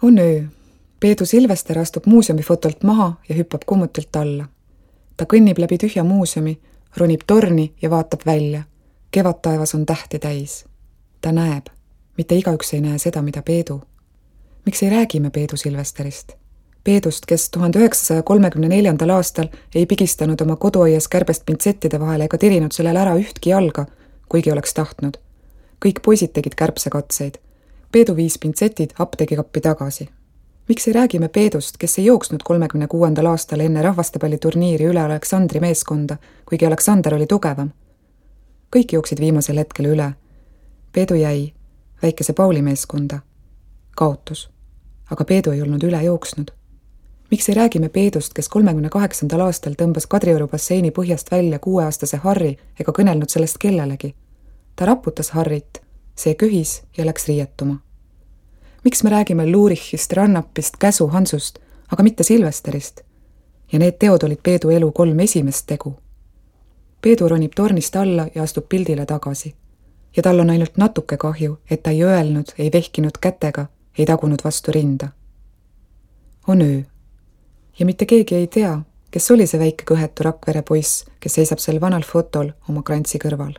On öö. Peedu Silvester astub muuseumifotolt maha ja hüppab kummutilt alla. Ta kõnnib läbi tühja muuseumi, ronib torni ja vaatab välja. Kevadtaevas on tähti täis. Ta näeb. Mitte igaüks ei näe seda, mida Peedu. Miks ei räägime Peedu Silvesterist? Peedust, kes 1934. aastal ei pigistanud oma koduaias kärbest pintsettide vahele ega tirinud sellel ära ühtki jalga, kuigi oleks tahtnud. Kõik poisid tegid kärbsekatseid. Peedu viis pintsetid apteegikappi tagasi. Miks ei räägime Peedust, kes ei jooksnud 36. aastal enne rahvastepalliturniiri üle Aleksandri meeskonda, kuigi Aleksander oli tugevam? Kõik jooksid viimasel hetkel üle. Peedu jäi, väikese Pauli meeskonda. Kaotus. Aga Peedu ei olnud üle jooksnud. Miks ei räägime Peedust, kes 38. aastal tõmbas Kadrioru basseini põhjast välja 6-aastase Harri ega kõnelnud sellest kellelegi? Ta raputas Harrit, see köhis ja läks riietuma. Miks me räägime Luurichist, Rannapist, Käsu, Hansust, aga mitte Silvesterist? Ja need teod olid Peedu elu 3 esimest tegu. Peedu ronib tornist alla ja astub pildile tagasi. Ja tal on ainult natuke kahju, et ta ei öelnud, ei vehkinud kätega, ei tagunud vastu rinda. On öö. Ja mitte keegi ei tea, kes oli see väike kõhetu Rakvere poiss, kes seisab sel vanal fotol oma krantsi kõrval.